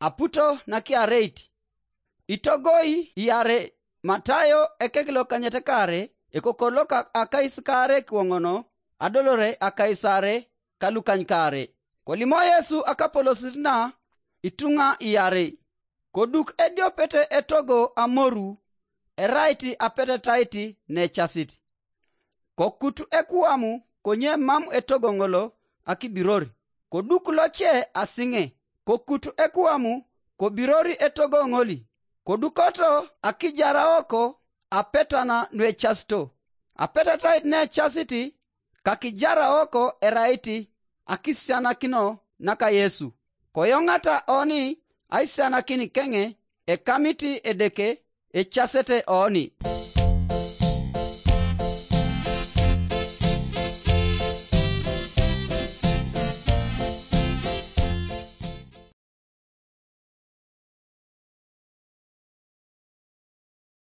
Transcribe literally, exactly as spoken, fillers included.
Aputo nakiareit. Itogoi iare Matayo ekekilokanyet kare, ekokor loka akais kare kiwoŋono, adolore akais are kalukany kare. Kolimo Yesu akapolosit na ituŋa iarei. Koduk ediopet etogo amoru, erait apetetait necasit. Kokut ekuamu konye mam etogo ŋolo akibiror. Koduk loce asiŋe, kokut ekuamu kobirori etogo ŋoli. Kodukoto akijaraoko apetana nuecasito. Apetetait necasit kakijaraoko erait akisianakino naka Yesu. Koyoŋata oni aisianakin keŋe ekamit Edeke ecasete oni.